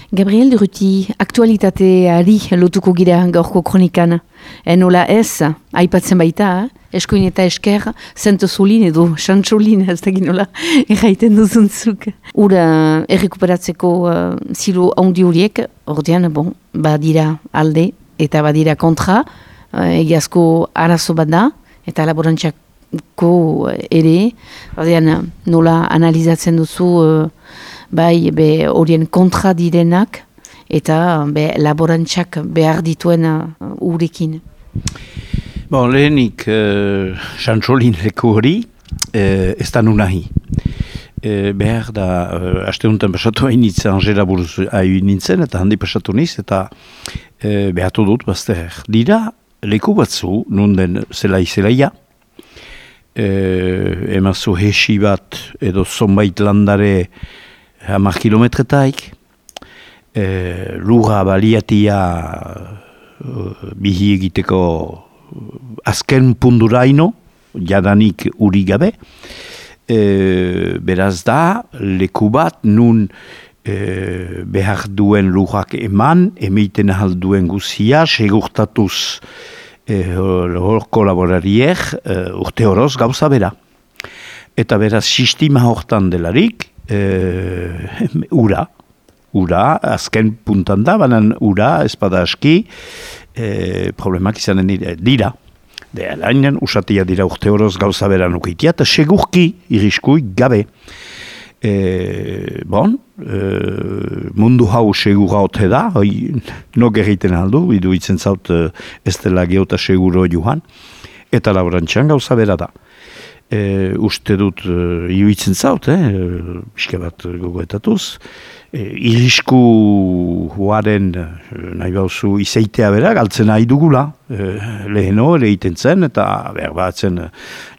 Gabriel Durruti, aktualitateari lotuko gira gaurko kronikan. Enola ez, aipatzen baita, eskoin eta esker, zentozulin edo xantxolin, ez da ginola, erraiten duzuntzuk. Ura errekuperatzeko zilo handi horiek, ordean, badira alde eta badira kontra, egiazko arazo bat da, eta laborantxako ere, ordean nola analizatzen duzu bai horien kontra direnak, eta laborantxak behar dituen urekin. Lehenik, xantxolin leku hori, ez da nunahi. Behar da, aste honetan pasatu hainitza, Angela buruz nintzen, eta handi pasatu niz, eta behatu dut, bazter. Dira, leku batzu, nunden zelaia, emazu hesi bat, edo zonbait landare 10 kilometretaik, lura baliatia bihi egiteko azken punduraino, jadanik uri gabe, beraz da, leku bat nun behar duen lurak eman, emeiten ahal duen guzia, segurtatuz kolaborariek urte horoz gauza bera. Eta beraz, sistema hortan delarik, ura, azken puntan da, banan ura, espada aski, problemak izanen dira. Alainen, usatia dira urte horoz gauza bera nukitia, eta segurki irriskui gabe. Mundu hau segura ote da, nok egiten aldu, bidu itzen zaut ez dela geota seguro joan, eta laborantxan gauza bera da. Uste dut iruitzen zaut, pixka bat gogoetatuz, irrisku huaren nahi bauzu izeitea bera, galtzen nahi dugula, leheno ere iten zen, eta behar batzen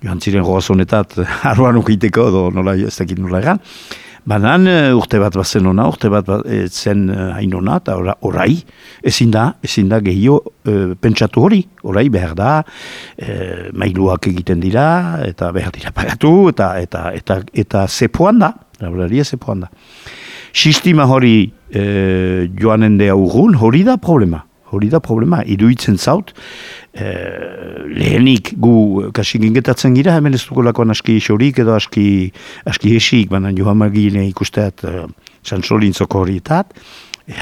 joan ziren goazonetat arroan ukiteko, nola ez dakit nola egan. Banan urte bat bazen ona, urte bat zen hain ona, eta orai, ezin da gehiago pentsatu hori, orai behar da, mailuak egiten dira, eta behar dira pagatu, eta zepoan da, laboraria zepoan da. Sistema hori joanen dea urgun, hori da problema, iruditzen zaut, lehenik gu kasi gingetatzen gira, hemen ez dugulakoan aski isorik edo aski esik, baina joan magine ikusteat xantxolin zoko horietat,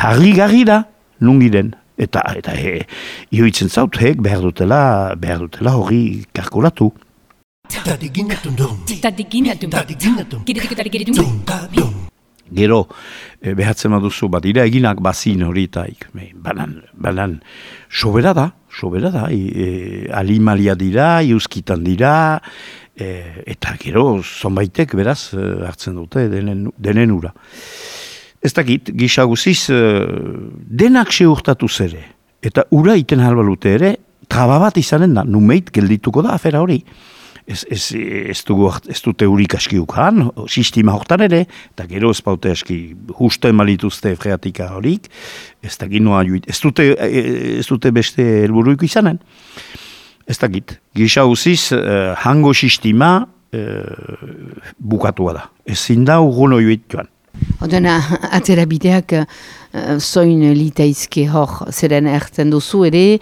harri da, nungiren, eta iruditzen zaut, behar dutela hori kalkulatu. Gero, behatzen baduzu, badira eginak bazin horietaik, banan, sobera da, alimalia dira, iuskitan dira, eta gero, zonbaitek beraz hartzen dute denen ura. Ez dakit, gisa guziz, denak seurtatu zere, eta ura iten halbalute ere, traba bat izanen da, numeit geldituko da afera hori. Ez dute urik aski ukan, sistema hortan ere, eta gero ez baute aski justo emalituzte freatika horik, ez dakit noa juit, ez dute beste helburuiko izanen. Ez dakit, gisa uziz, hango sistema bukatua da. Ezin da urguno juit joan. Odena, atzera bideak zoin litaizke hor zeren erten duzu ere,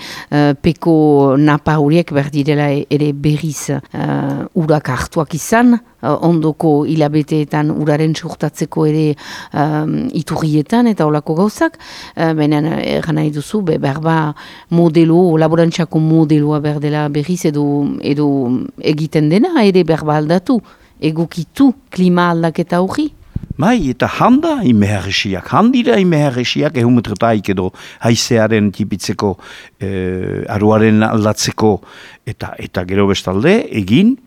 peko napa horiek berdirela ere berriz urak hartuak izan, ondoko hilabeteetan uraren surtatzeko ere iturrietan eta olako gauzak, benen eran nahi duzu, berba modelo, laborantxako modeloa berdela berriz edo egiten dena ere berba aldatu, egokitu klima aldaketa hori. Bai, eta handira imeherresiak, ehumetretaik edo haizearen tipitzeko, aruaren aldatzeko, eta gero bestalde, egin,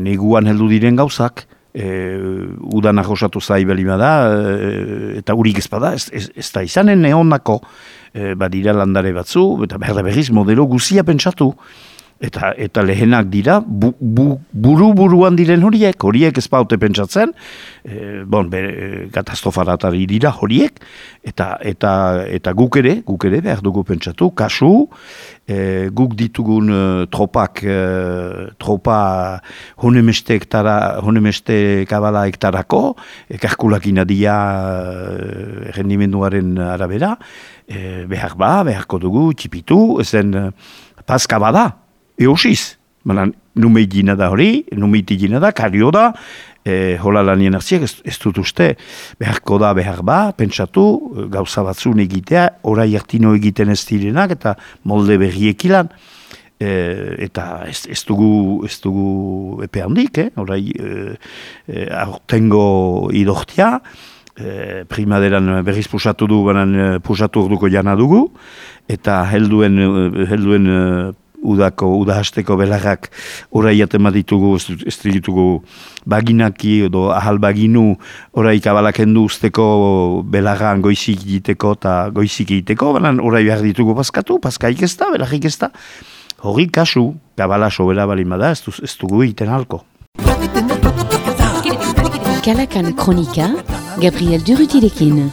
neguan heldu diren gauzak, udanak osatu zai belima da, eta urik ezpada, ez da izanen neonako, badira landare batzu, eta behar da berriz modelo guzia pentsatu, Eta lehenak dira, buru-buruan diren horiek ez baute pentsatzen, katastrofaratari dira horiek, eta guk ere behar dugu pentsatu, kasu, guk ditugun tropa honemeste kabala hektarako, kalkulakina dia rendimenduaren arabera, beharko dugu, txipitu, ezen paska bada, eosiz, numeitgina da hori, numeitigina da, kario da, hola lanien hartziak ez dut uste, beharko da, pentsatu, gauza batzun egitea, orai hartino egiten ez direnak, eta molde berriekilan, eta ez dugu epe handik, orai aurtengo idortia, primaderan berriz pusatu du, pusatu orduko jana dugu, eta helduen udahasteko belarrak orai atema ditugu, ez ditugu baginaki edo ahal baginu orai kabalakendu usteko belarran goizik egiteko eta goizik egiteko, baina orai behar ditugu paskaik ez da, belarrik ez da. Hori kasu, kabala sobera balimada ez dugu egiten halko. Kalakan Kronika, Gabriel Durutirekin.